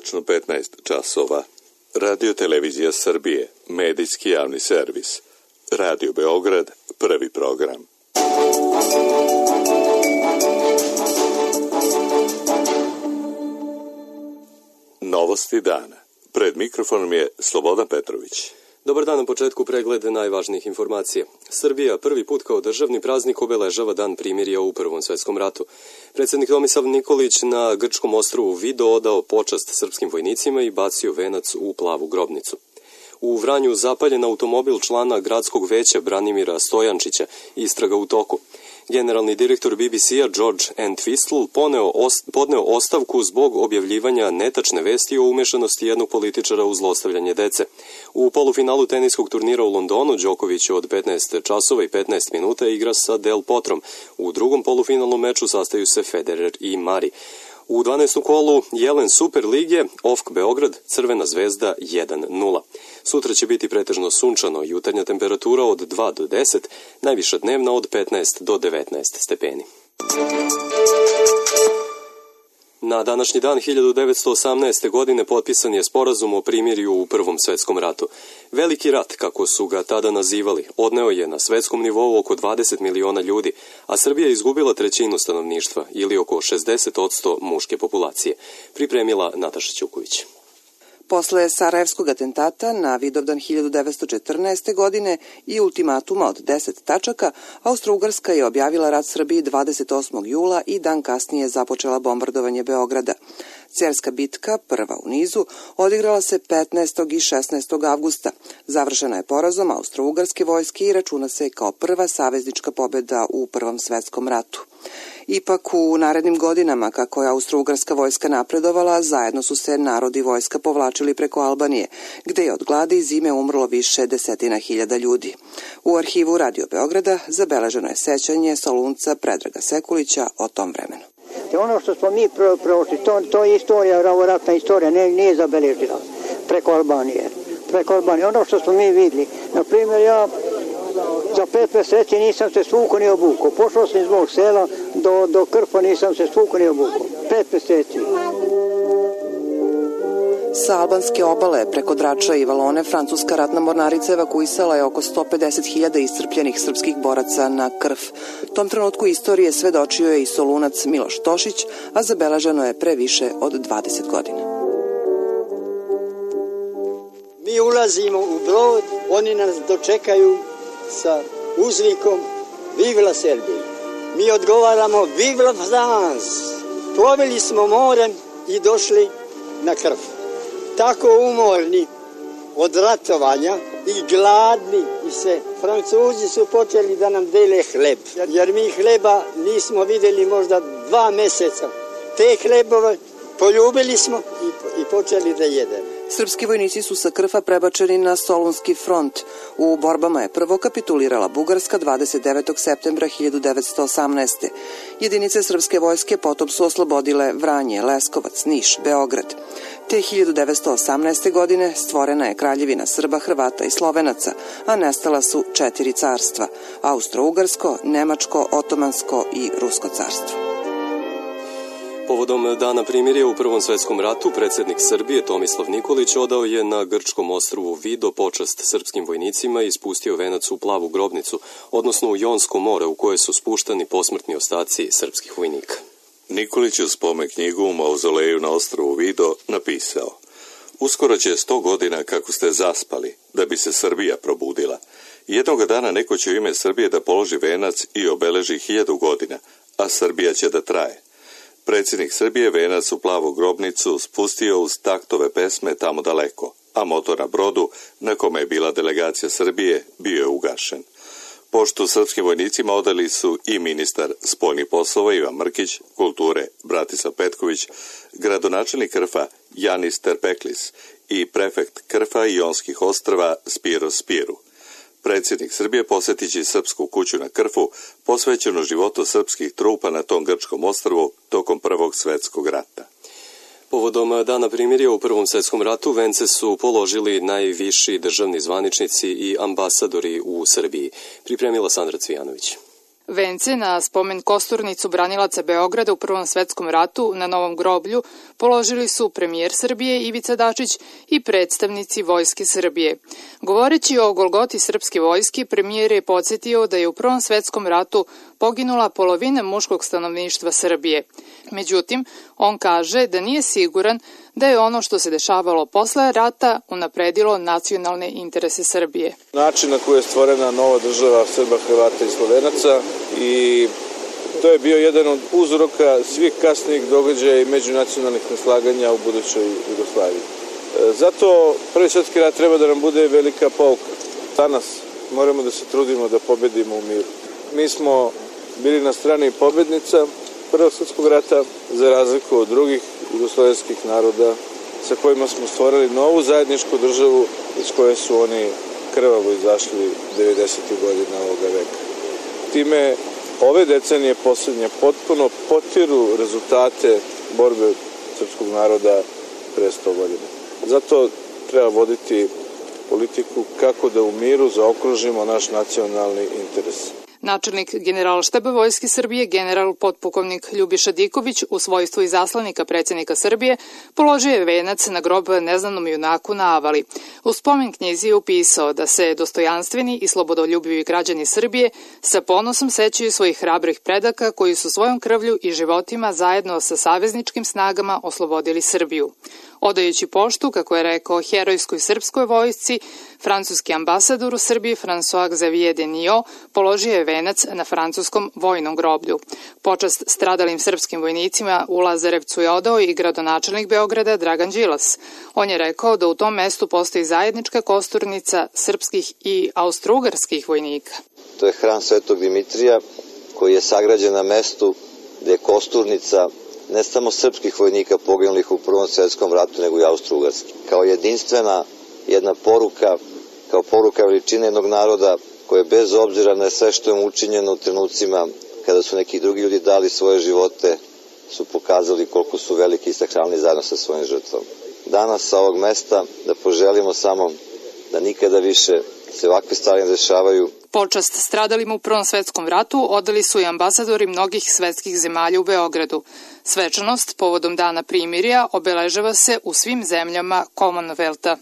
tačno 15 časova. Radio Televizija Srbije, medijski javni servis. Radio Beograd, prvi program. Novosti dana. Pred mikrofonom je Slobodan Petrović. Dobar dan, na početku pregled najvažnijih informacija. Srbija prvi put kao državni praznik obeležava Dan primirja u Prvom svetskom ratu. Predsjednik Tomislav Nikolić na grčkom ostrvu Vido odao počast srpskim vojnicima i bacio venac u plavu grobnicu. U Vranju zapaljen automobil člana gradskog veća Branimira Stojančića, istraga u toku. Generalni direktor BBC-a George Entwistle podneo ostavku zbog objavljivanja netačne vesti o umešanosti jednog političara u zlostavljanje dece. U polufinalu teniskog turnira u Londonu Đoković od 15 časova i 15 minuta igra sa Del Potrom. U drugom polufinalnom meču sastaju se Federer i Mari. U 12. kolu Jelen Super Lige, OFK Beograd, Crvena zvezda 1-0. Sutra će biti pretežno sunčano, jutarnja temperatura od 2 do 10, najviša dnevna od 15 do 19 stepeni. Na današnji dan 1918. godine potpisan je sporazum o primirju u Prvom svetskom ratu. Veliki rat, kako su ga tada nazivali, odneo je na svetskom nivou oko 20 miliona ljudi, a Srbija je izgubila trećinu stanovništva ili oko 60% muške populacije. Pripremila Nataša Ćuković. Posle Sarajevskog atentata na Vidovdan 1914. godine i ultimatuma od 10 tačaka, Austro-Ugarska je objavila rat Srbiji 28. jula i dan kasnije započela bombardovanje Beograda. Cerska bitka, prva u nizu, odigrala se 15. i 16. avgusta. Završena je porazom Austro-Ugarske vojske i računa se kao prva saveznička pobjeda u Prvom svetskom ratu. Ipak u narednim godinama, kako je Austro-Ugarska vojska napredovala, zajedno su se narod i vojska povlačili preko Albanije, gde je od gladi i zime umrlo više desetina hiljada ljudi. U arhivu Radio Beograda zabeleženo je sećanje Solunca Predraga Sekulića o tom vremenu. Ono što smo mi prošli, to je istorija, ratna istorija, nije zabeležila preko Albanije. Ono što smo mi vidjeli, na primjer, ja za 5 mjeseci nisam se svuko ni obukao. Pošao sam iz mog sela do Krfa, nisam se svuko ni obukao. 5 mjeseci. Sa albanske obale preko Drača i Valone francuska ratna mornarica evakuisala je oko 150.000 iscrpljenih srpskih boraca na Krf. Tom trenutku istorije svedočio je i Solunac Miloš Tošić, a zabeleženo je pre više od 20 godina. Mi ulazimo u brod, oni nas dočekaju sa uzvikom Vivla Serbija. Mi odgovaramo Vivla France. Plovili smo morem i došli na Krf. Tako umorni od ratovanja i gladni i sve. Francuzi su počeli da nam dele hleb, jer mi hleba nismo vidjeli možda 2 mjeseca. Te hlebove poljubili smo i počeli da jedemo. Srpski vojnici su sa Krfa prebačeni na Solunski front. U borbama je prvo kapitulirala Bugarska 29. septembra 1918. Jedinice srpske vojske potom su oslobodile Vranje, Leskovac, Niš, Beograd. Te 1918. godine stvorena je Kraljevina Srba, Hrvata i Slovenaca, a nestala su 4 carstva: Austro-Ugarsko, Nemačko, Otomansko i Rusko carstvo. Povodom dana primirja u Prvom svetskom ratu, predsjednik Srbije Tomislav Nikolić odao je na grčkom ostrvu Vido počast srpskim vojnicima i spustio venac u plavu grobnicu, odnosno u Jonsko more u koje su spuštani posmrtni ostaci srpskih vojnika. Nikolić u spomen knjigu u mauzoleju na ostrvu Vido napisao: Uskoro će 100 godina kako ste zaspali, da bi se Srbija probudila. Jednoga dana neko će u ime Srbije da položi venac i obeleži 1000 godina, a Srbija će da traje. Predsjednik Srbije venac u plavu grobnicu spustio uz taktove pesme Tamo daleko, a motor na brodu, na kome je bila delegacija Srbije, bio je ugašen. Poštu srpskim vojnicima odali su i ministar spoljnih poslova Ivan Mrkić, kulture Bratislav Petković, gradonačelnik Krfa Janis Terpeklis i prefekt Krfa i Jonskih ostrva Spiro Spiru. Predsjednik Srbije posjetići srpsku kuću na Krfu, posvećenu životu srpskih trupa na tom grčkom ostrvu tokom Prvog svjetskog rata. Povodom dana primirja u Prvom svjetskom ratu vence su položili najviši državni zvaničnici i ambasadori u Srbiji. Pripremila Sandra Cvijanović. Vence na spomen kosturnicu branilaca Beograda u Prvom svetskom ratu na Novom groblju položili su premijer Srbije Ivica Dačić i predstavnici Vojske Srbije. Govoreći o golgoti srpske vojske, premijer je podsjetio da je u Prvom svetskom ratu poginula polovina muškog stanovništva Srbije. Međutim, on kaže da nije siguran da je ono što se dešavalo posle rata unapredilo nacionalne interese Srbije. Način na koji je stvorena nova država Srba, Hrvata i Slovenaca i to je bio jedan od uzroka svih kasnijih događaja i međunacionalnih neslaganja u budućoj Jugoslaviji. Zato Prvi svjetski rat treba da nam bude velika pouka. Danas moramo da se trudimo da pobedimo u miru. Mi smo bili na strani pobednica Prvog svjetskog rata, za razliku od drugih jugoslovenskih naroda sa kojima smo stvorili novu zajedničku državu iz koje su oni krvavo izašli 90. godina ovoga veka. Time ove decenije posljednje potpuno potiru rezultate borbe srpskog naroda pre 100 godina. Zato treba voditi politiku kako da u miru zaokružimo naš nacionalni interes. Načelnik Generalštaba Vojske Srbije, general potpukovnik Ljubiša Diković, u svojstvu izaslanika predsjednika Srbije, položio je venac na grob neznanom junaku na Avali. U spomen knjizi je upisao da se dostojanstveni i slobodoljubivi građani Srbije sa ponosom sećaju svojih hrabrih predaka koji su svojom krvlju i životima zajedno sa savezničkim snagama oslobodili Srbiju. Odajući poštu, kako je rekao, herojskoj srpskoj vojsci, francuski ambasador u Srbiji François Xavier Denio položio je venac na francuskom vojnom groblju. Počast stradalim srpskim vojnicima u Lazarevcu je odao i gradonačelnik Beograda Dragan Đilas. On je rekao da u tom mestu postoji zajednička kosturnica srpskih i austrougarskih vojnika. To je hram Svetog Dimitrija koji je sagrađen na mestu gde je kosturnica ne samo srpskih vojnika poginulih u Prvom svjetskom ratu, nego i austrougarskih. Kao jedinstvena jedna poruka, kao poruka veličine jednog naroda koje bez obzira na sve što je učinjeno u trenucima kada su neki drugi ljudi dali svoje živote, su pokazali koliko su veliki i sakralni zajedno sa svojim žrtvom. Danas sa ovog mesta da poželimo samo da nikada više se ovakve stvari ne dešavaju. Počast stradalima u Prvom svetskom ratu odali su i ambasadori mnogih svetskih zemalja u Beogradu. Svečanost povodom Dana primirja obeležava se u svim zemljama Commonwealtha.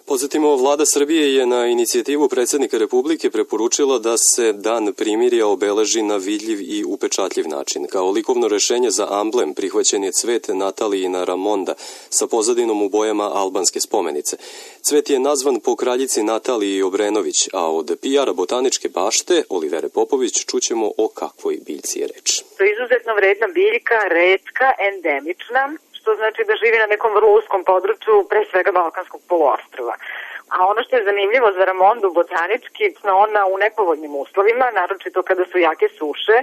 Podsjetimo, vlada Srbije je na inicijativu predsjednika Republike preporučila da se Dan primirja obeleži na vidljiv i upečatljiv način. Kao likovno rešenje za amblem prihvaćen je cvet Natalijina Ramonda sa pozadinom u bojama albanske spomenice. Cvet je nazvan po kraljici Nataliji Obrenović, a od PR-a botaničke bašte Olivere Popović čućemo o kakvoj biljci je reč. To je izuzetno vredna biljka, retka, endemična, što znači da živi na nekom vrlo uskom području, pre svega Balkanskog poluostrva. A ono što je zanimljivo za Ramondu botanički, ona u nepovoljnim uslovima, naročito kada su jake suše,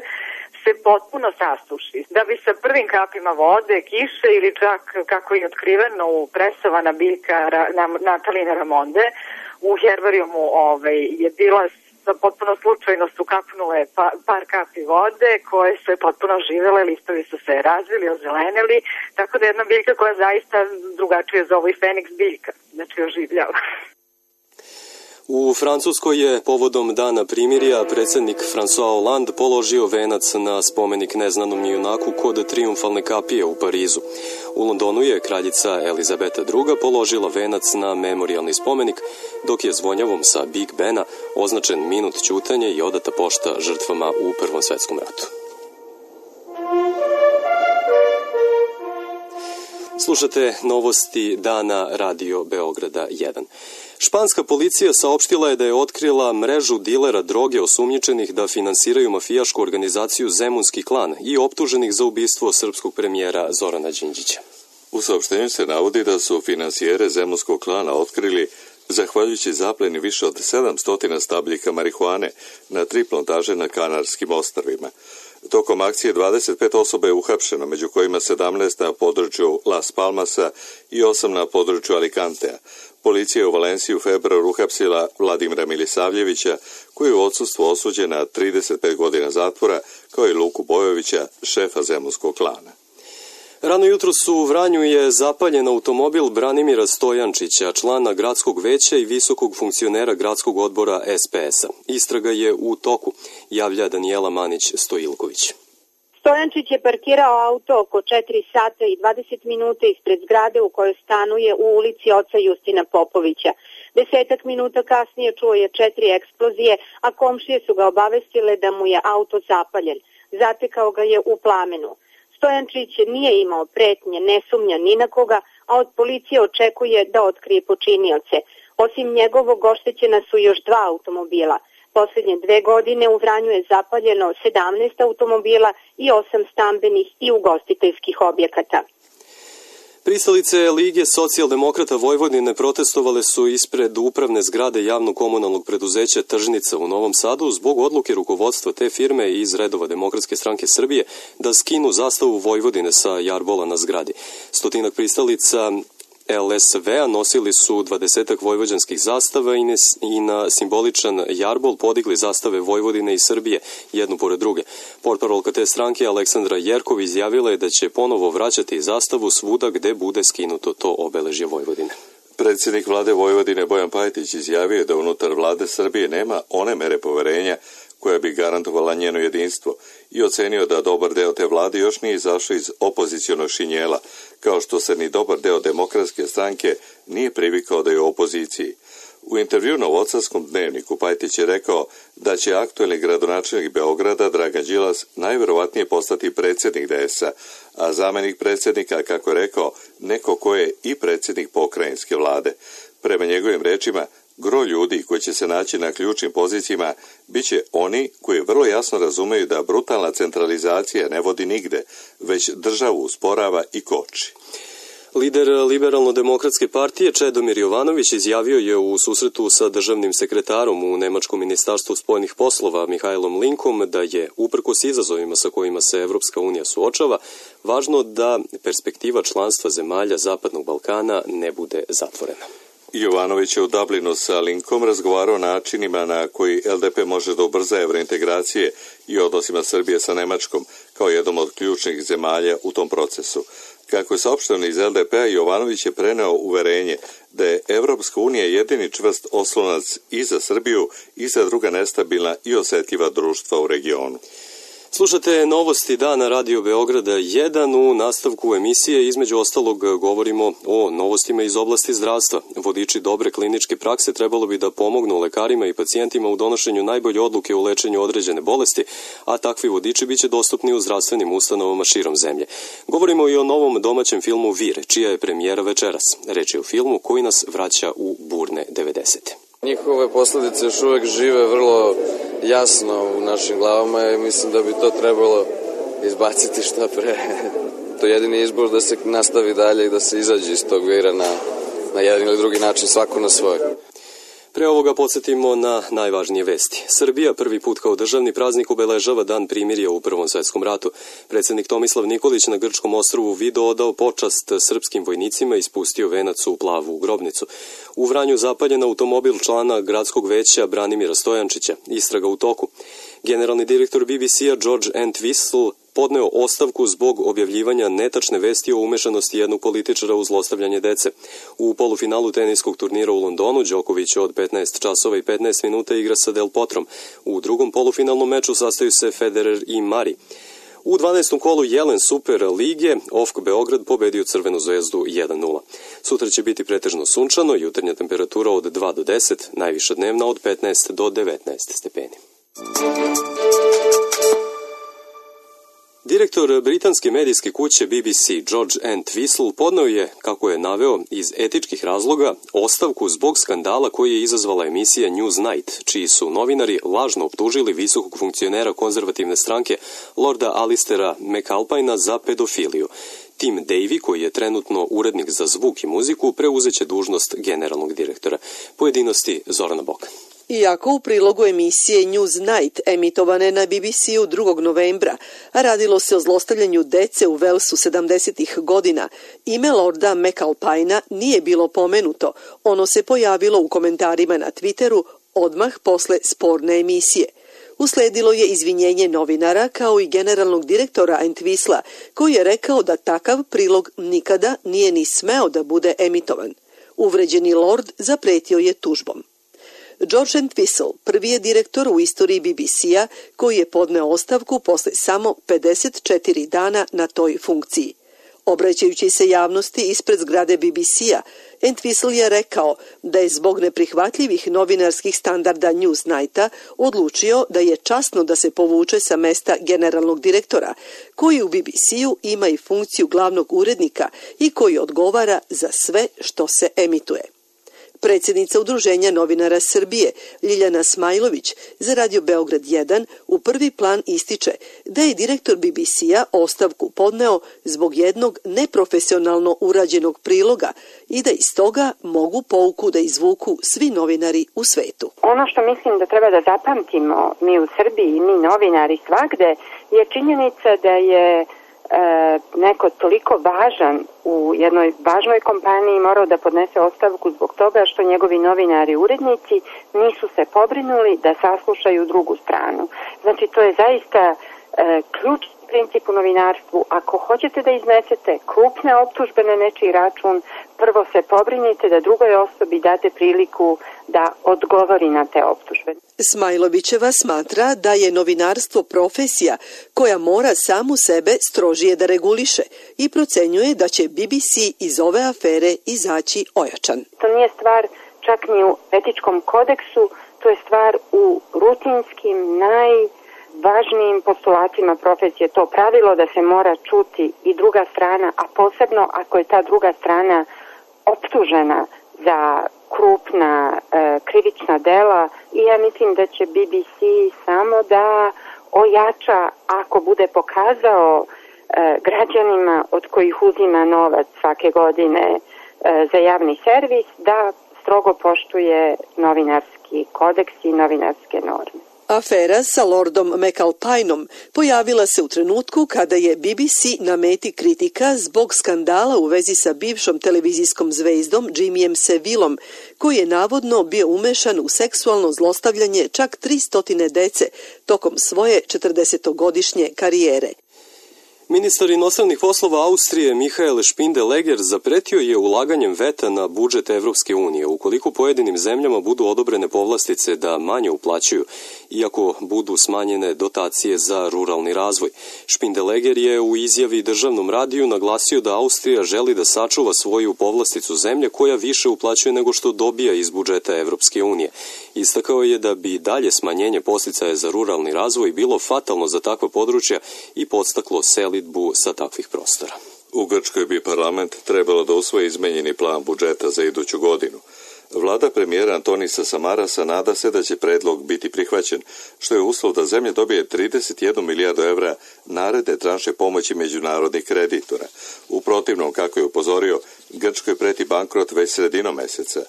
se potpuno sasuši. Da bi sa prvim kapima vode, kiše ili čak, kako je otkriveno, presavana biljka Natalijine Ramonde, u herbarijumu je bila potpuno slučajno su kapnule par kapi vode koje su potpuno živele, listovi su se razvili, ozelenili, tako da je jedna biljka koja zaista drugačije zove i Feniks biljka, znači oživljava. U Francuskoj je povodom Dana primirja predsjednik François Hollande položio venac na spomenik neznanom junaku kod Trijumfalne kapije u Parizu. U Londonu je kraljica Elizabeta II. Položila venac na memorijalni spomenik, dok je zvonjavom sa Big Bena označen minut ćutanja i odata pošta žrtvama u Prvom svjetskom ratu. Slušate novosti dana Radio Beograda 1. Španska policija saopštila je da je otkrila mrežu dilera droge osumnjičenih da finansiraju mafijašku organizaciju Zemunski klan i optuženih za ubistvo srpskog premijera Zorana Đinđića. U saopštenju se navodi da su finansijere Zemunskog klana otkrili zahvaljujući zapleni više od 700 stabljika marihuane na 3 plantaže na Kanarskim ostrvima. Tokom akcije 25 osoba je uhapšeno, među kojima 17 na području Las Palmasa i 8 na području Alicantea. Policija je u Valenciji u februaru uhapsila Vladimira Milisavljevića, koji je u odsustvu osuđen na 35 godina zatvora, kao i Luku Bojovića, šefa Zemunskog klana. Rano jutro u Vranju je zapaljen automobil Branimira Stojančića, člana gradskog veća i visokog funkcionera gradskog odbora SPS-a. Istraga je u toku, javlja Danijela Manić-Stojilković. Stojančić je parkirao auto oko 4 sata i 20 minuta ispred zgrade u kojoj stanuje u ulici oca Justina Popovića. 10 minuta kasnije čuo je 4 eksplozije, a komšije su ga obavestile da mu je auto zapaljen. Zatekao ga je u plamenu. Stojančić nije imao pretnje, ne sumnja ni na koga, a od policije očekuje da otkrije počinioce. Osim njegovog oštećena su još 2 automobila. Posljednje 2 godine u Vranju je zapaljeno 17 automobila i 8 stambenih i ugostiteljskih objekata. Pristalice Lige socijaldemokrata Vojvodine protestovale su ispred upravne zgrade javno-komunalnog preduzeća Tržnica u Novom Sadu zbog odluke rukovodstva te firme iz redova Demokratske stranke Srbije da skinu zastavu Vojvodine sa jarbola na zgradi. 100 pristalica LSV-a nosili su 20 vojvođanskih zastava i na simboličan jarbol podigli zastave Vojvodine i Srbije, jednu pored druge. Portparolka te stranke Aleksandra Jerkov izjavila je da će ponovo vraćati zastavu svuda gde bude skinuto to obeležje Vojvodine. Predsjednik vlade Vojvodine Bojan Pajtić izjavio je da unutar vlade Srbije nema one mere poverenja koja bi garantovala njeno jedinstvo i ocenio da dobar deo te vlade još nije izašao iz opozicionog šinjela, kao što se ni dobar deo Demokratske stranke nije privikao da je u opoziciji. U intervju na Novosadskom dnevniku Pajtić je rekao da će aktuelni gradonačelnik Beograda Dragan Đilas najverovatnije postati predsjednik DS-a, a zamenik predsjednika, kako je rekao, neko ko je i predsjednik pokrajinske vlade. Prema njegovim rečima, gro ljudi koji će se naći na ključnim pozicijama bit će oni koji vrlo jasno razumeju da brutalna centralizacija ne vodi nigde, već državu usporava i koči. Lider Liberalno-demokratske partije Čedomir Jovanović izjavio je u susretu sa državnim sekretarom u Nemačkom ministarstvu spoljnih poslova Mihajlom Linkom da je, uprkos izazovima sa kojima se Evropska unija suočava, važno da perspektiva članstva zemalja Zapadnog Balkana ne bude zatvorena. Jovanović je u Dublinu sa Linkom razgovarao o načinima na koji LDP može da ubrza evrointegracije i odnosima Srbije sa Nemačkom kao jednom od ključnih zemalja u tom procesu. Kako je saopšteno iz LDP-a, Jovanović je preneo uverenje da je Evropska unija jedini čvrst oslonac i za Srbiju i za druga nestabilna i osjetljiva društva u regionu. Slušate novosti dana Radio Beograda 1. U nastavku emisije između ostalog govorimo o novostima iz oblasti zdravstva. Vodiči dobre kliničke prakse trebalo bi da pomognu lekarima i pacijentima u donošenju najbolje odluke u lečenju određene bolesti, a takvi vodiči biće dostupni u zdravstvenim ustanovama širom zemlje. Govorimo i o novom domaćem filmu Vire, čija je premijera večeras. Reč je o filmu koji nas vraća u burne 90. Njihove posljedice još uvijek žive vrlo jasno u našim glavama i mislim da bi to trebalo izbaciti što pre. To je jedini izbor da se nastavi dalje i da se izađe iz tog vira na jedan ili drugi način, svako na svoj. Pre ovoga podsjetimo na najvažnije vesti. Srbija prvi put kao državni praznik obeležava dan primirja u Prvom svetskom ratu. Predsjednik Tomislav Nikolić na grčkom ostrvu Vido odao počast srpskim vojnicima i spustio venac u plavu grobnicu. U Vranju zapaljen automobil člana gradskog veća Branimira Stojančića. Istraga u toku. Generalni direktor BBC-a George Entwistle podneo ostavku zbog objavljivanja netačne vesti o umešanosti jednog političara u zlostavljanje dece. U polufinalu teniskog turnira u Londonu Đoković od 15 časova i 15 minuta igra sa Del Potrom. U drugom polufinalnom meču sastaju se Federer i Mari. U 12. kolu Jelen Super lige OFK Beograd pobedio Crvenu zvezdu 1-0. Sutra će biti pretežno sunčano, jutarnja temperatura od 2 do 10, najviša dnevna od 15 do 19 stepeni. Direktor britanske medijske kuće BBC George Entwistle podneo je, kako je naveo, iz etičkih razloga ostavku zbog skandala koji je izazvala emisija Newsnight, čiji su novinari lažno optužili visokog funkcionera konzervativne stranke Lorda Alistera McAlpina za pedofiliju. Tim Davy, koji je trenutno urednik za zvuk i muziku, preuzeće dužnost generalnog direktora. Pojedinosti Zorana Boka. Iako u prilogu emisije Newsnight emitovane na BBC-u 2. novembra radilo se o zlostavljanju dece u Velsu 70. godina, ime Lorda McAlpina nije bilo pomenuto. Ono se pojavilo u komentarima na Twitteru odmah posle sporne emisije. Usledilo je izvinjenje novinara kao i generalnog direktora Entwisla, koji je rekao da takav prilog nikada nije ni smeo da bude emitovan. Uvređeni lord zapretio je tužbom. George Entwistle prvi je direktor u istoriji BBC-a koji je podneo ostavku posle samo 54 dana na toj funkciji. Obraćajući se javnosti ispred zgrade BBC-a, Entwistle je rekao da je zbog neprihvatljivih novinarskih standarda Newsnighta odlučio da je časno da se povuče sa mesta generalnog direktora, koji u BBC-u ima i funkciju glavnog urednika i koji odgovara za sve što se emituje. Predsjednica Udruženja novinara Srbije, Ljiljana Smajlović, za Radio Beograd 1 u prvi plan ističe da je direktor BBC-a ostavku podneo zbog jednog neprofesionalno urađenog priloga i da iz toga mogu pouku da izvuku svi novinari u svetu. Ono što mislim da treba da zapamtimo mi u Srbiji i mi novinari svagde je činjenica da je neko toliko važan u jednoj važnoj kompaniji morao da podnese ostavku zbog toga što njegovi novinari i urednici nisu se pobrinuli da saslušaju drugu stranu. Znači, to je zaista ključni princip u novinarstvu. Ako hoćete da iznesete krupne optužbe na nečiji račun, prvo se pobrinite da drugoj osobi date priliku da odgovori na te optužbe. Smajlovićeva smatra da je novinarstvo profesija koja mora samu sebe strožije da reguliše i procenjuje da će BBC iz ove afere izaći ojačan. To nije stvar čak ni u etičkom kodeksu, to je stvar u rutinskim, najvažnijim postulatima profesije. To pravilo da se mora čuti i druga strana, a posebno ako je ta druga strana optužena za krupna krivična dela, i ja mislim da će BBC samo da ojača ako bude pokazao građanima od kojih uzima novac svake godine za javni servis da strogo poštuje novinarski kodeks i novinarske norme. Afera sa lordom McAlpineom pojavila se u trenutku kada je BBC na meti kritika zbog skandala u vezi sa bivšom televizijskom zvezdom Jimmyjem Sevillom, koji je navodno bio umešan u seksualno zlostavljanje čak 300 dece tokom svoje 40-godišnje karijere. Ministar inostranih poslova Austrije Michael Spindeleger zapretio je ulaganjem veta na budžet Evropske unije ukoliko pojedinim zemljama budu odobrene povlastice da manje uplaćuju, iako budu smanjene dotacije za ruralni razvoj. Spindeleger je u izjavi državnom radiju naglasio da Austrija želi da sačuva svoju povlasticu zemlje koja više uplaćuje nego što dobija iz budžeta Evropske unije. Istakao je da bi dalje smanjenje podsticaja za ruralni razvoj bilo fatalno za takva područja i podstaklo selidbu sa takvih prostora. U Grčkoj bi parlament trebalo da usvoji izmenjeni plan budžeta za iduću godinu. Vlada premijera Antonisa Samarasa nada se da će predlog biti prihvaćen, što je uslov da zemlja dobije 31 milijardu evra naredne tranše pomoći međunarodnih kreditora. U protivnom, kako je upozorio, Grčkoj preti bankrot već sredinom meseca.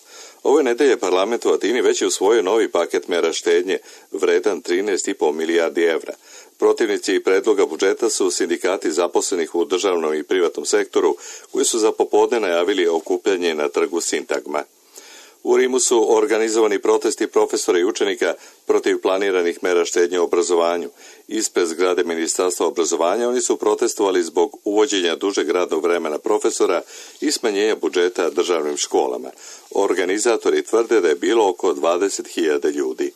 Ove nedelje parlament u Atini već je usvojio novi paket mera štednje vredan 13,5 milijardi evra. Protivnici predloga budžeta su sindikati zaposlenih u državnom i privatnom sektoru, koji su za popodne najavili okupljanje na trgu Sintagma. U Rimu su organizovani protesti profesora i učenika protiv planiranih mera štednje u obrazovanju. Ispred zgrade Ministarstva obrazovanja oni su protestovali zbog uvođenja dužeg radnog vremena profesora i smanjenja budžeta državnim školama. Organizatori tvrde da je bilo oko 20.000 ljudi.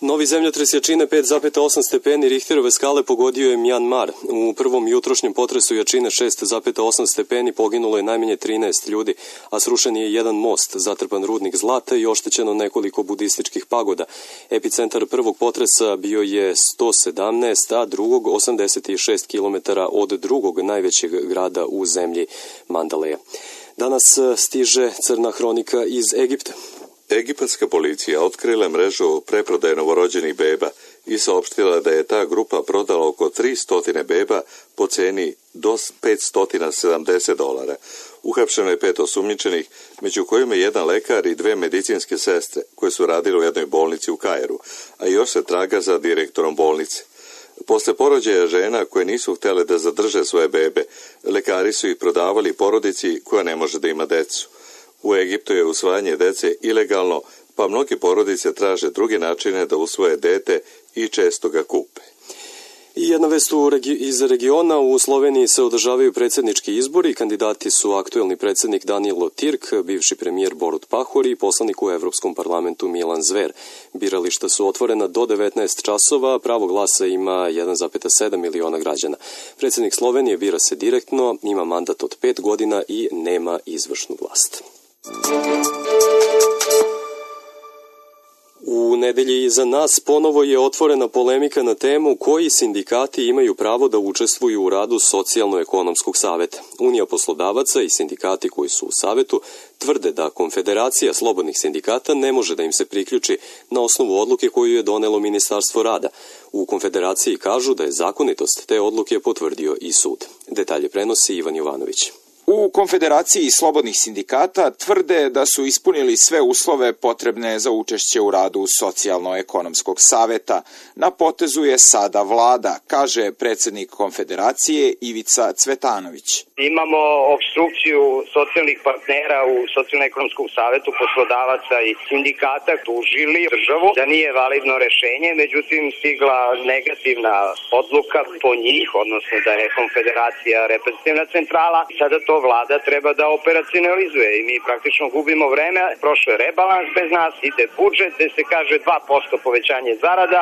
Novi zemljotres jačine 5,8 stepeni Richterove skale pogodio je Mjanmar. U prvom jutrošnjem potresu jačine 6,8 stepeni poginulo je najmanje 13 ljudi, a srušen je jedan most, zatrpan rudnik zlata i oštećeno nekoliko budističkih pagoda. Epicentar prvog potresa bio je 117, a drugog 86 km od drugog najvećeg grada u zemlji Mandaleja. Danas stiže crna hronika iz Egipta. Egipatska policija otkrila mrežu preprodaje novorođenih beba i saopštila da je ta grupa prodala oko 300 beba po ceni do $570. Uhapšeno je 5 osumnjičenih, među kojima je jedan lekar i 2 medicinske sestre koje su radile u jednoj bolnici u Kairu, a još se traga za direktorom bolnice. Posle porođaja žena koje nisu htjele da zadrže svoje bebe, lekari su ih prodavali porodici koja ne može da ima decu. U Egiptu je usvajanje dece ilegalno, pa mnogi porodice traže druge načine da usvoje dete i često ga kupe. I jedna vest iz regiona, u Sloveniji se održavaju predsjednički izbori, kandidati su aktuelni predsjednik Danilo Tirk, bivši premijer Borut Pahor i poslanik u Evropskom parlamentu Milan Zver. Birališta su otvorena do 19 časova, pravo glasa ima 1,7 miliona građana. Predsjednik Slovenije bira se direktno, ima mandat od 5 godina i nema izvršnu vlast. U nedelji iza nas ponovo je otvorena polemika na temu koji sindikati imaju pravo da učestvuju u radu Socijalno-ekonomskog saveta. Unija poslodavaca i sindikati koji su u savetu tvrde da Konfederacija slobodnih sindikata ne može da im se priključi na osnovu odluke koju je donelo Ministarstvo rada. U Konfederaciji kažu da je zakonitost te odluke potvrdio i sud. Detalje prenosi Ivan Jovanović. U Konfederaciji slobodnih sindikata tvrde da su ispunili sve uslove potrebne za učešće u radu Socijalno-ekonomskog saveta. Na potezu je sada vlada, kaže predsjednik Konfederacije Ivica Cvetanović. Imamo opstrukciju socijalnih partnera u Socijalno-ekonomskom savetu, poslodavaca i sindikata, tužili državu da nije validno rešenje, međutim stigla negativna odluka po njih, odnosno da je Konfederacija reprezentativna centrala. Sada to vlada treba da operacionalizuje i mi praktično gubimo vreme. Prošao je rebalans bez nas, ide budžet gde se kaže 2% povećanje zarada.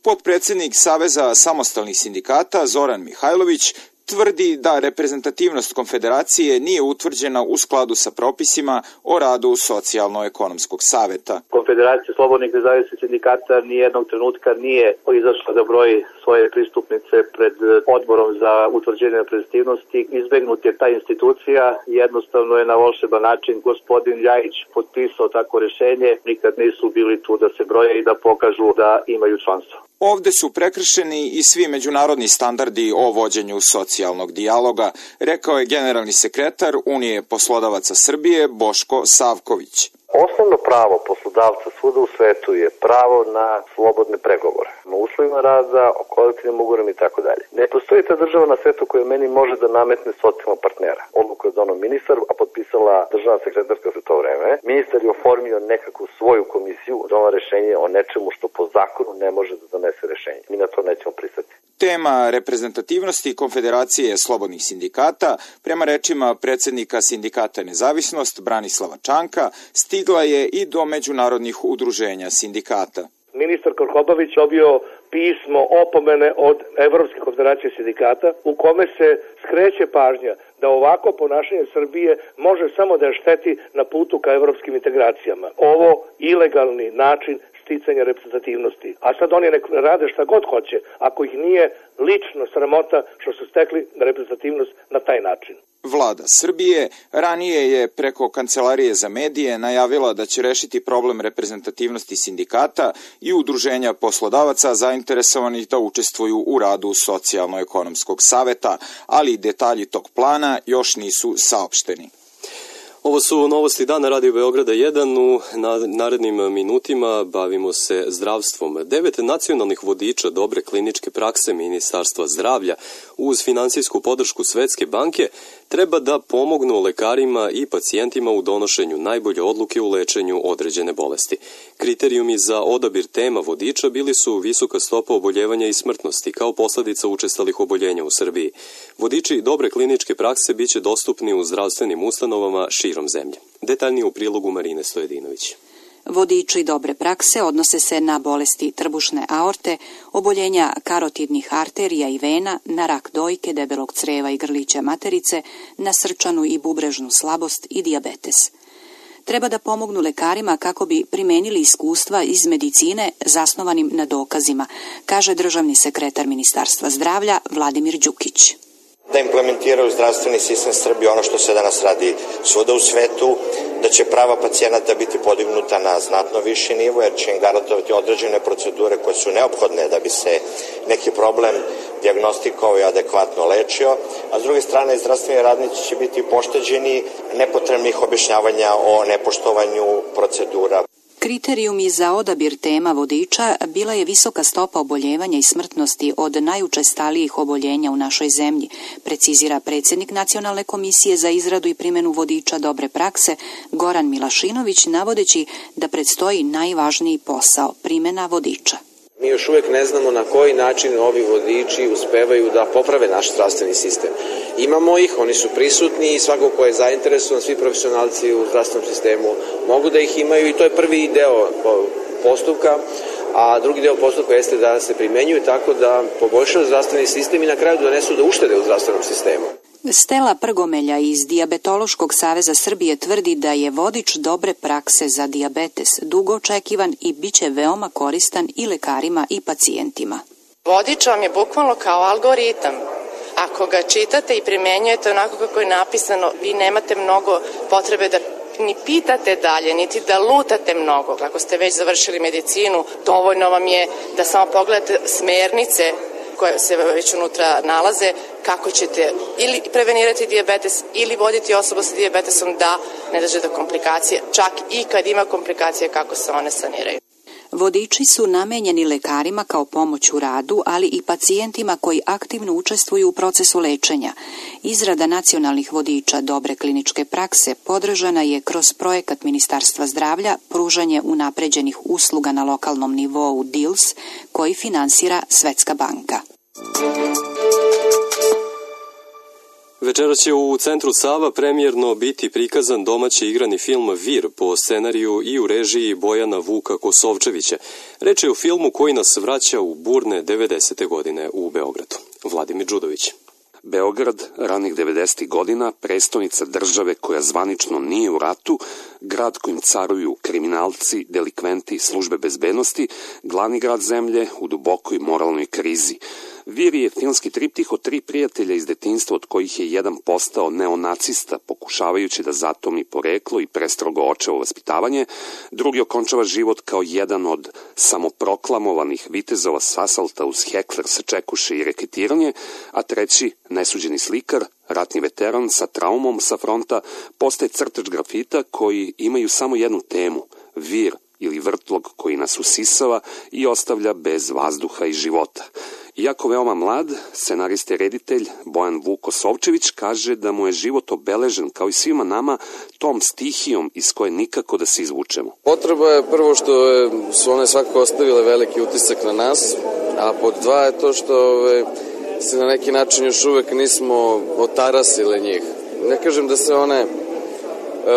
Potpredsjednik Saveza samostalnih sindikata Zoran Mihajlović tvrdi da reprezentativnost Konfederacije nije utvrđena u skladu sa propisima o radu Socijalno-ekonomskog saveta. Konfederacija slobodnih nezavisnih sindikata nijednog trenutka nije izašla da broji svoje pristupnice pred odborom za utvrđenje reprezentativnosti. Izbegnut je ta institucija, jednostavno je na volšeban način gospodin Ljajić potpisao tako rešenje, nikad nisu bili tu da se broje i da pokažu da imaju članstvo. Ovde su prekršeni i svi međunarodni standardi o vođenju socijalnog dijaloga, rekao je generalni sekretar Unije poslodavaca Srbije Boško Savković. Osnovno pravo poslodavca svuda u svetu je pravo na slobodne pregovore, na uslovima rada, o kolektivnim ugovorima i tako dalje. Ne postoji ta država na svetu koja meni može da nametne socijalnog partnera. Odluku je donao ministar, a potpisala državna sekretarska za to vreme. Ministar je oformio nekakvu svoju komisiju, donao rešenje o nečemu što po zakonu ne može da donese rešenje. Mi na to nećemo pristati. Tema reprezentativnosti Konfederacije slobodnih sindikata, prema rečima predsjednika sindikata Nezavisnost Branislava Čanka, stigla je i do međunarodnih udruženja sindikata. Ministar Krkobabić dobio pismo opomene od Evropske konfederacije sindikata u kome se skreće pažnja da ovako ponašanje Srbije može samo da je šteti na putu ka evropskim integracijama. Ovo ilegalni način sticanja reprezentativnosti. A sad oni rade šta god hoće, ako ih nije lično sramota što su stekli reprezentativnost na taj način. Vlada Srbije ranije je preko Kancelarije za medije najavila da će rešiti problem reprezentativnosti sindikata i udruženja poslodavaca zainteresovanih da učestvuju u radu Socijalno-ekonomskog saveta, ali detalji tog plana još nisu saopšteni. Ovo su novosti dana Radio Beograda 1. U narednim minutima bavimo se zdravstvom. 9 nacionalnih vodiča dobre kliničke prakse Ministarstva zdravlja uz finansijsku podršku Svetske banke treba da pomognu lekarima i pacijentima u donošenju najbolje odluke u lečenju određene bolesti. Kriterijumi za odabir tema vodiča bili su visoka stopa oboljevanja i smrtnosti kao posledica učestalih oboljenja u Srbiji. Vodiči dobre kliničke prakse biće dostupni u zdravstvenim ustanovama širom zemlje. Detaljnije u prilogu Marine Stojedinović. Vodiči dobre prakse odnose se na bolesti trbušne aorte, oboljenja karotidnih arterija i vena, na rak dojke, debelog creva i grlića materice, na srčanu i bubrežnu slabost i dijabetes. Treba da pomognu lekarima kako bi primenili iskustva iz medicine zasnovanim na dokazima, kaže državni sekretar Ministarstva zdravlja Vladimir Đukić. Da implementiraju zdravstveni sistem Srbije ono što se danas radi svuda u svetu, da će prava pacijenata biti podignuta na znatno viši nivo, jer će im garantovati određene procedure koje su neophodne da bi se neki problem dijagnostikovao i adekvatno lečio, a s druge strane zdravstveni radnici će biti pošteđeni nepotrebnih objašnjavanja o nepoštovanju procedura. Kriterijumi za odabir tema vodiča bila je visoka stopa oboljevanja i smrtnosti od najučestalijih oboljenja u našoj zemlji, precizira predsjednik Nacionalne komisije za izradu i primjenu vodiča dobre prakse Goran Milašinović, navodeći da predstoji najvažniji posao, primjena vodiča. Mi još uvijek ne znamo na koji način ovi vodiči uspevaju da poprave naš zdravstveni sistem. Imamo ih, oni su prisutni i svako ko je zainteresovan, svi profesionalci u zdravstvenom sistemu mogu da ih imaju i to je prvi deo postupka, a drugi deo postupka jeste da se primenjuju tako da poboljšaju zdravstveni sistem i na kraju donesu do uštede u zdravstvenom sistemu. Stela Prgomelja iz Dijabetološkog saveza Srbije tvrdi da je vodič dobre prakse za dijabetes dugo očekivan i bit će veoma koristan i lekarima i pacijentima. Vodič vam je bukvalno kao algoritam. Ako ga čitate i primjenjujete onako kako je napisano, vi nemate mnogo potrebe da ni pitate dalje, niti da lutate mnogo. Ako ste već završili medicinu, dovoljno vam je da samo pogledate smernice koje se već unutra nalaze, kako ćete ili prevenirati dijabetes ili voditi osobu sa dijabetesom da ne dođe do komplikacije, čak i kad ima komplikacije kako se one saniraju. Vodiči su namenjeni lekarima kao pomoć u radu, ali i pacijentima koji aktivno učestvuju u procesu lečenja. Izrada nacionalnih vodiča dobre kliničke prakse podržana je kroz projekat Ministarstva zdravlja pružanje unapređenih usluga na lokalnom nivou DILS, koji finansira Svetska banka. Večeras će u Centru Sava premijerno biti prikazan domaći igrani film Vir po scenariju i u režiji Bojana Vuka Kosovčevića. Reč je o filmu koji nas vraća u burne 90. godine u Beogradu. Vladimir Đudović. Beograd, ranih 90. godina, prestonica države koja zvanično nije u ratu, grad kojim caruju kriminalci, delikventi, službe bezbednosti, glavni grad zemlje u dubokoj moralnoj krizi. Vir je filmski triptih o 3 prijatelja iz detinjstva od kojih je jedan postao neonacista pokušavajući da zatomi poreklo i prestrogo očevo vaspitavanje, drugi okončava život kao jedan od samoproklamovanih vitezova s asalta uz hekler, sačekuše i reketiranje, a treći, nesuđeni slikar, ratni veteran sa traumom sa fronta, postaje crtač grafita koji imaju samo jednu temu, vir ili vrtlog koji nas usisava i ostavlja bez vazduha i života. Iako veoma mlad, scenarista i reditelj Bojan Vuk Kosovčević kaže da mu je život obeležen, kao i svima nama, tom stihijom iz koje nikako da se izvučemo. Potreba je prvo što su one svakako ostavile veliki utisak na nas, a pod 2 je to što se na neki način još uvek nismo otarasile njih. Ne kažem da se one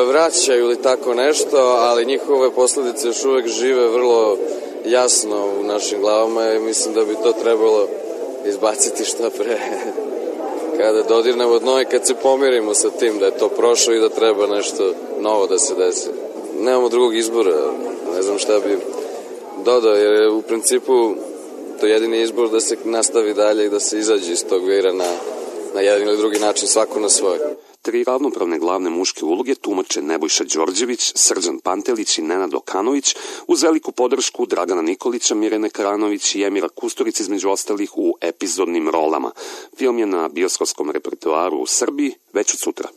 vraćaju ili tako nešto, ali njihove posledice još uvek žive vrlo jasno u našim glavama i mislim da bi to trebalo izbaciti što pre. Kada dodirnemo dno i kad se pomirimo sa tim da je to prošlo i da treba nešto novo da se desi. Nemamo drugog izbora, ne znam šta bi dodao, jer je u principu to jedini izbor da se nastavi dalje i da se izađe iz tog vira na jedan ili drugi način, svako na svoj. 3 ravnopravne glavne muške uloge tumače Nebojša Đorđević, Srđan Pantelić i Nenad Okanović, uz veliku podršku Dragana Nikolića, Mirjane Karanović i Emira Kusturica između ostalih u epizodnim rolama. Film je na bioskopskom repertoaru u Srbiji već od sutra.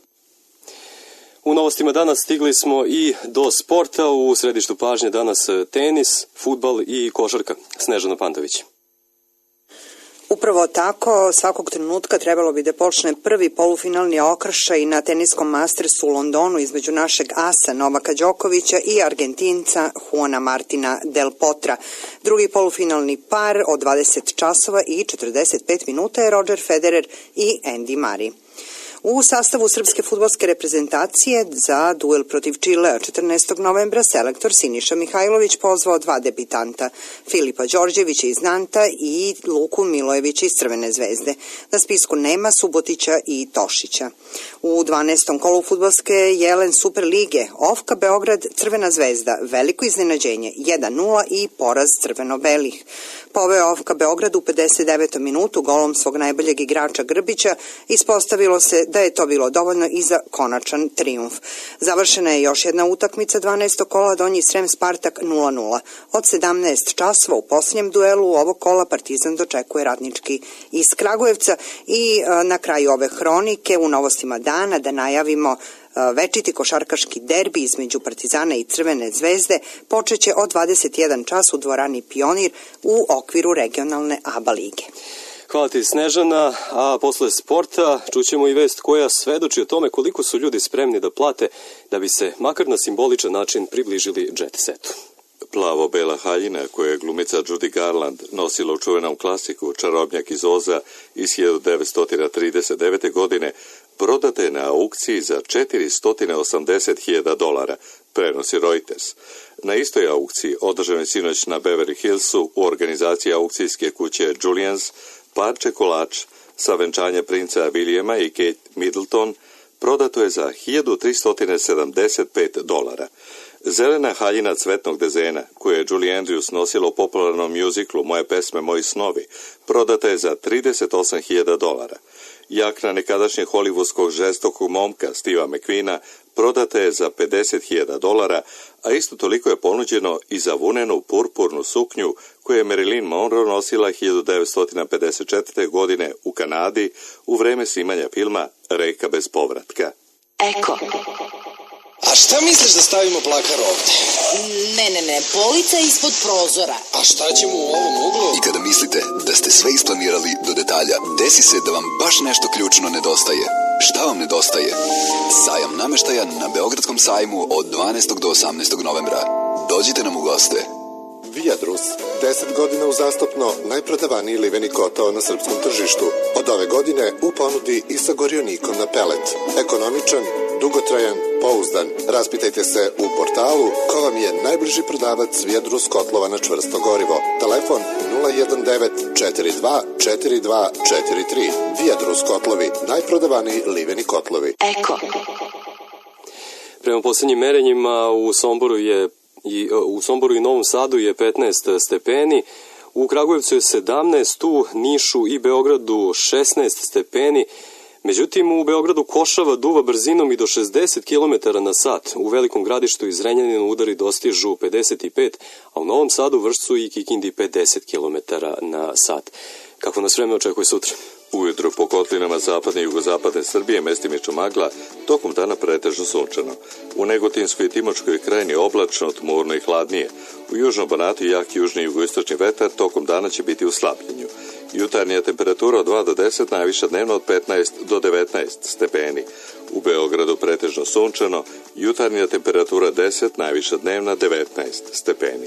U novostima danas stigli smo i do sporta. U središtu pažnje danas tenis, fudbal i košarka. Snežana Pantović. Upravo tako, svakog trenutka trebalo bi da počne prvi polufinalni okršaj na teniskom Mastersu u Londonu između našeg asa Novaka Đokovića i Argentinca Juana Martina Del Potra. Drugi polufinalni par od 20 časova i 45 minuta je Roger Federer i Andy Murray. U sastavu srpske fudbalske reprezentacije za duel protiv Čilea 14. novembra selektor Siniša Mihajlović pozvao 2 debitanta, Filipa Đorđevića iz Nanta i Luku Milojevića iz Crvene zvezde. Na spisku nema Subotića i Tošića. U 12. kolu fudbalske Jelen Super lige Ofka Beograd Crvena zvezda veliko iznenađenje 1-0 i poraz crveno-belih. Poveo Ofka Beograd u 59. minutu golom svog najboljeg igrača Grbića, ispostavilo se da je to bilo dovoljno i za konačan trijumf. Završena je još jedna utakmica 12. kola Donji Srem Spartak 0-0. Od 17 časova u posljednjem duelu ovog kola Partizan dočekuje Radnički iz Kragujevca i na kraju ove hronike u novostima dana da najavimo Večiti košarkaški derbi između Partizana i Crvene zvezde počeće od 21 čas u dvorani Pionir u okviru regionalne ABA lige. Hvala ti, Snežana, a posle sporta čućemo i vest koja svedoči o tome koliko su ljudi spremni da plate da bi se makar na simboličan način približili jet setu. Plavo-bela haljina koju je glumica Judy Garland nosila u čuvenom klasiku Čarobnjak iz Oza iz 1939. godine prodata je na aukciji za $480.000, prenosi Reuters. Na istoj aukciji, održanoj sinoć na Beverly Hillsu u organizaciji aukcijske kuće Julians, parče kolač sa venčanja princa Williama i Kate Middleton prodato je za $1.375. Zelena haljina cvetnog dezena, koju je Julie Andrews nosila u popularnom mjuziklu Moje pesme, moji snovi, prodata je za $38.000. Jakna nekadašnjeg hollywoodskog žestokog momka Steva McQueena prodata je za $50.000, a isto toliko je ponuđeno i za vunenu purpurnu suknju koju je Marilyn Monroe nosila 1954. godine u Kanadi u vreme snimanja filma Reka bez povratka. Eko. A šta misliš da stavimo plakar ovde? Ne, polica ispod prozora. A šta ćemo u ovom uglu? I kada mislite da ste sve isplanirali do detalja, desi se da vam baš nešto ključno nedostaje. Šta vam nedostaje? Sajam nameštaja na Beogradskom sajmu od 12. do 18. novembra. Dođite nam u goste. Viadrus, 10 godina uzastopno najprodavaniji liveni kotao na srpskom tržištu. Od ove godine u ponudi i sa gorionikom na pelet. Ekonomičan, dugotrajan, pouzdan. Raspitajte se u portalu ko vam je najbliži prodavac Viadrus kotlova na čvrsto gorivo. Telefon 019 42 42 43. Viadrus kotlovi, najprodavaniji liveni kotlovi. Eko. Prema posljednjim merenjima u Somboru i Novom Sadu je 15 stepeni, u Kragujevcu je 17, u Nišu i Beogradu 16 stepeni. Međutim, u Beogradu košava duva brzinom i do 60 km na sat. U Velikom Gradištu i Zrenjaninu udari dostižu 55, a u Novom Sadu, Vršcu i Kikindi 50 km na sat. Kako nas vreme očekuje sutra? Ujutro po kotlinama zapadne i jugozapadne Srbije mestimično magla, tokom dana pretežno sunčano. U Negotinskoj i Timočkoj krajini oblačno, tmurno i hladnije. U južnom Banatu jak južni i jugoistočni vetar tokom dana će biti u slabljenju. Jutarnja temperatura od 2 do 10, najviša dnevno od 15 do 19 stepeni. U Beogradu pretežno sunčano, jutarnja temperatura 10, najviša dnevna 19 stepeni.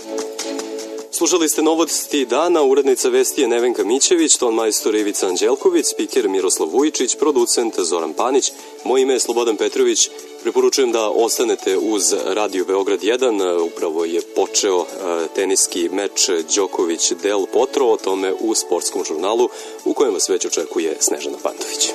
Slušali ste novosti dana, urednica vesti je Nevenka Mićević, ton majstor Ivica Anđelković, spiker Miroslav Vujičić, producent Zoran Panić, moje ime je Slobodan Petrović. Preporučujem da ostanete uz Radio Beograd 1, upravo je počeo teniski meč Đoković Del Potro, o tome u sportskom žurnalu u kojem vas već očekuje Snežana Pantović.